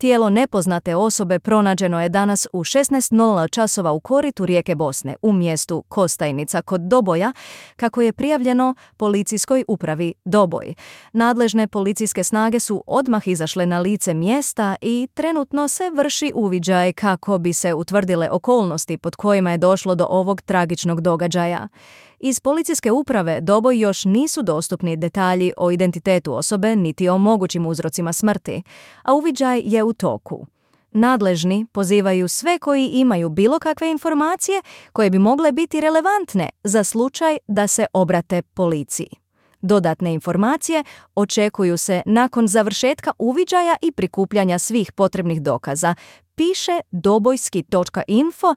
Tijelo nepoznate osobe pronađeno je danas u 16:00 časova u koritu rijeke Bosne, u mjestu Kostajnica kod Doboja, kako je prijavljeno policijskoj upravi Doboj. Nadležne policijske snage su odmah izašle na lice mjesta i trenutno se vrši uviđaj kako bi se utvrdile okolnosti pod kojima je došlo do ovog tragičnog događaja. Iz policijske uprave Doboj još nisu dostupni detalji o identitetu osobe niti o mogućim uzrocima smrti, a uviđaj je u toku. Nadležni pozivaju sve koji imaju bilo kakve informacije koje bi mogle biti relevantne za slučaj da se obrate policiji. Dodatne informacije očekuju se nakon završetka uviđaja i prikupljanja svih potrebnih dokaza, piše dobojski.info